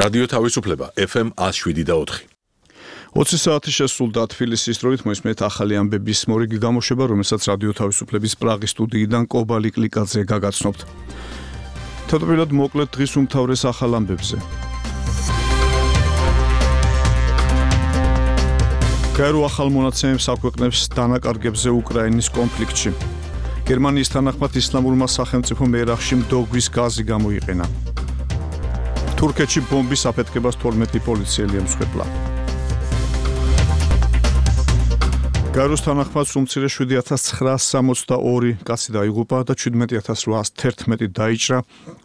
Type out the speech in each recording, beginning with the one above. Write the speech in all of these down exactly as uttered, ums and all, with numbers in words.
რადიო თავისუფლება ეფ ემ one oh seven და four. ოცი საათი შესრულდა თბილისის დროით მოისმენთ ახალი ამბების მორიგი გამოშვება, რომელსაც რადიო თავისუფლების პრაღის სტუდიიდან კობალი კლიკაძე გაგაცნობთ. თავდაპირველად მოკლედ დღის უმთავრეს ახალ ამბებზე. გაერო ახალ მონაცემებს აქვეყნებს დანაკარგებზე უკრაინის კონფლიქტში. გერმანიის თანახმად ისლამურმა სახელმწიფომ ერაყში მდოგვის გაზი გამოიყენა. თურქეთში ბომბის აფეთქებას თორმეტი პოლიციელი ემსხვერპლა. გაეროს თანახმად უმცირე შვიდი ათას ცხრაასი სამოცდაორი კაცი დაიღუპა და შვიდმეტი ათას რვაასი თერთმეტი დაიჭრა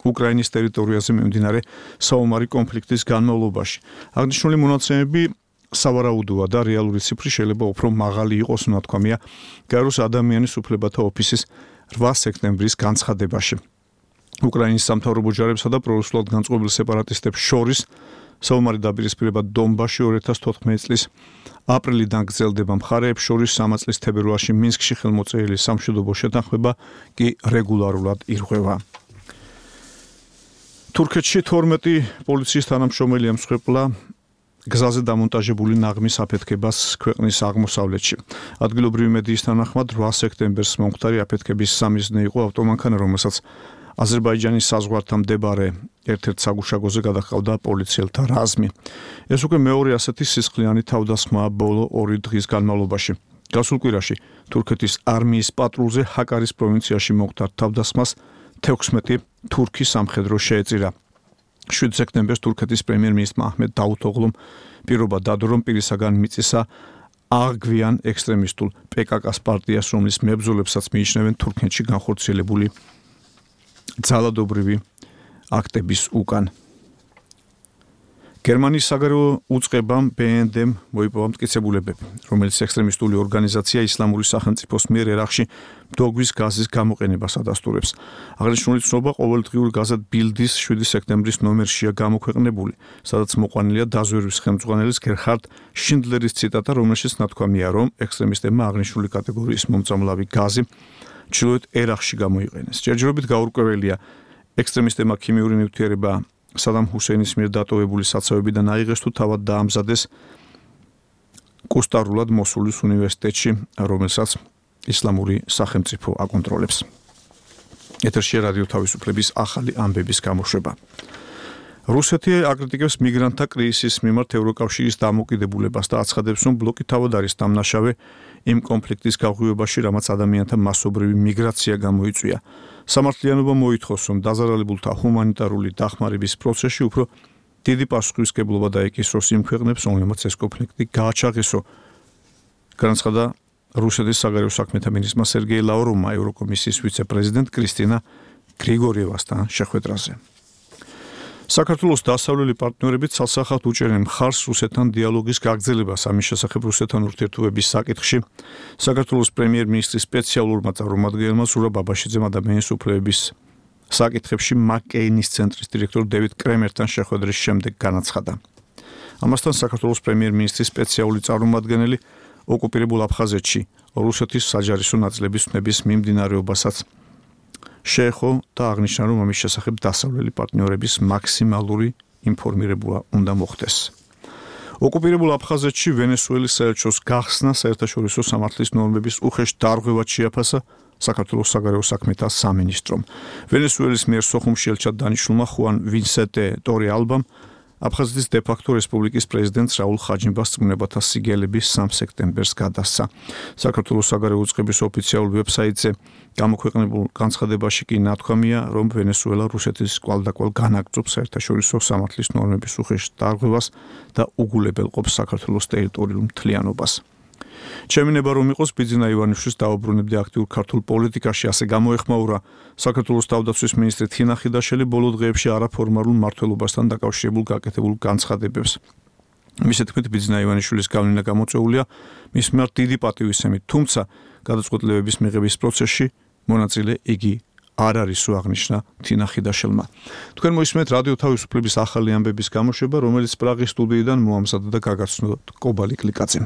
უკრაინის ტერიტორიაზე მიმდინარე საომარი კონფლიქტის განმავლობაში. აღნიშნული მონაცემები სავარაუდოა და რეალური ციფრი შეიძლება უფრო მაღალი იყოს, უნათქვამია გაეროს ადამიანის უფლებათა ოფისის რვა სექტემბრის განცხადებაში. უკრაინის სამთავრობო ჯარებსა და პრორუსულად განწყობილ სეპარატისტებს შორის საომარი დაპირისპირება დონბასში ორი ათას თოთხმეტი წლის აპრილიდან გრძელდება. მხარეებს შორის სამი წლის თებერვალში მინსკში ხელმოწერილი სამშვიდობო შეთანხმება კი რეგულარულად ირღვევა. თურქეთში თორმეტი პოლიციის თანამშრომელი ემსხვერპლა გზაზე დამონტაჟებული ნაღმის აფეთქებას ქვეყნის აღმოსავლეთში. ადგილობრივი მედიის თანახმად რვა სექტემბერს მომხდარი აფეთქების სამიზნე იყო ავტომანქანა, რომელსაც აზერბაიჯანის საზღვართან მდებარე ერთ-ერთ საგუშაგოზე გადაჰყავდა პოლიციელთა რაზმი. ეს უკვე მეორე ასეთი სისხლიანი თავდასხმაა ბოლო ორი დღის განმავლობაში. გასულ კვირაში თურქეთის არმიის პატრულზე ჰაკარის პროვინციაში მომხდარ თავდასხმას თექვსმეტი თურქი სამხედრო შეეწირა. შვიდ სექტემბერს თურქეთის პრემიერ-მინისტრმა აჰმედ დავუთოღლუმ პირობა დადო, რომ პირისაგან მიწისა აღგვიან ექსტრემისტულ პე კა კას პარტიას, რომლის მებრძოლებსაც მიიჩნევენ თურქეთში განხორციელებული ძალადობრივი აქტების უკან. გერმანიის საგარეო უწყებამ ბე ენ დემ მოიპოვა მტკიცებულებები, რომელიც ექსტრემისტული ორგანიზაცია ისლამური სახელმწიფოს მიერ ერაყში მდოგვის გაზის გამოყენებას ადასტურებს. აღნიშნული ცნობა ყოველდღიურ გაზეთ ბილდის შვიდი სექტემბრის ნომერშია გამოქვეყნებული, სადაც მოყვანილია დაზვერვის ხელმძღვანელის გერჰარდ შინდლერის ციტატა, რომელშიც ნათქვამია, რომ ექსტრემისტებმა აღნიშნული კატეგორიის მომწამლავი გაზი ჩრდილოეთ ერაყში გამოიყენეს. ჯერჯერობით გაურკვეველია, ექსტრემისტებმა ქიმიური ნივთიერება სადამ ჰუსეინის მიერ დატოვებული საცავებიდან აიღეს თუ თავად დაამზადეს კუსტარულად მოსულის უნივერსიტეტში, რომელსაც ისლამური სახელმწიფო აკონტროლებს. ეთერში რადიო თავისუფლების ახალი ამბების გამოშვება. რუსეთი აკრიტიკებს მიგრანტთა კრიზისის მიმართ ევროკავშირის დამოკიდებულებას და აცხადებს, რომ ბლოკი თავად არის დამნაშავე იმ კონფლიქტის გაღვივებაში, რამაც ადამიანთა მასობრივი მიგრაცია გამოიწვია. სამართლიანობა მოითხოვს, რომ დაზარალებულთა ჰუმანიტარული დახმარების პროცესში უფრო დიდი პასუხისმგებლობა დაეკისროს იმ ქვეყნებს, რომლებმაც ეს კონფლიქტი გააჩაღისო. განაცხადა რუსეთის საგარეო საქმეთა მინისტრმა სერგეი ლავროვმა ევროკომისიის ვიცე-პრეზიდენტ კრისტინა გრიგორიევასთან შეხვედრაზე. საქართველოს დასავლელი პარტნიორები ცალსახად უჭერენ მხარს რუსეთთან დიალოგის გაგრძელებას. ამის შესახებ რუსეთთან ურთიერთობების საკითხში საქართველოს პრემიერ-მინისტრის სპეციალურმა წარმომადგენელმა ზურაბ ბაბაშიძემ ადამიანის უფლებების საკითხებში მაკ-კეინის ცენტრის დირექტორ დევიდ კრემერთან შეხვედრის შემდეგ განაცხადა. ამასთან საქართველოს პრემიერ-მინისტრის სპეციალური წარმომადგენელი ოკუპირებულ აფხაზეთში რუსეთის საჯარისო ნაწილების ვნების მიმდინარეობასაც შეეხო და აღნიშნა, რომ ამის შესახებ დასავლელი პარტნიორების მაქსიმალური ინფორმირება უნდა მოხდეს. ოკუპირებულ აფხაზეთში ვენესუელის საელჩოს გახსნა საერთაშორისო სამართლის ნორმების უხეშ დარღვევად შეაფასა საქართველოს საგარეო საქმეთა სამინისტრომ. ვენესუელის მიერ სოხუმში ელჩად დანიშნულმა ხუან ვინსენტე ტორე ალბამ აფხაზეთის დე-ფაქტო რესპუბლიკის პრეზიდენტს რაულ ხაჯიმბას წმუნებათა სიგელები სამი სექტემბერს გადასცა. საქართველოს საგარეო უწყების ოფიციალურ ვებსაიტზე გამოქვეყნებულ განცხადებაში კი ნათქვამია, რომ ვენესუელა რუსეთის კვალდაკვალ განაგრძობს საერთაშორისო სამართლის ნორმების უხეშ დარღვევას და უგულებელყოფს საქართველოს ტერიტორიულ მთლიანობას. ჩემი ნება რომ იყოს ბიძინა ივანიშვილის დაუბრუნებდი აქტიურ ქართულ პოლიტიკაში, ასე გამოეხმაურა საქართველოს თავდაცვის მინისტრი თინა ხიდაშელი ბოლო დღეებში არაფორმალურ მმართველობასთან დაკავშირებულ გაკეთებულ განცხადებებს. მისი თქმით, ბიძინა ივანიშვილის გავლენა გამოწვეულია მის მიმართ დიდი პატივისცემით, თუმცა გადაწყვეტილებების მიღების პროცესში მონაწილე იგი არ არის, აღნიშნა თინა ხიდაშელმა. თქვენ მოისმენთ რადიო თავისუფლების ახალი ამბების გამოშვება, რომელიც პრაღის სტუდიიდან მოამზადა და გაგაცნოთ კობალი კლიკაძემ.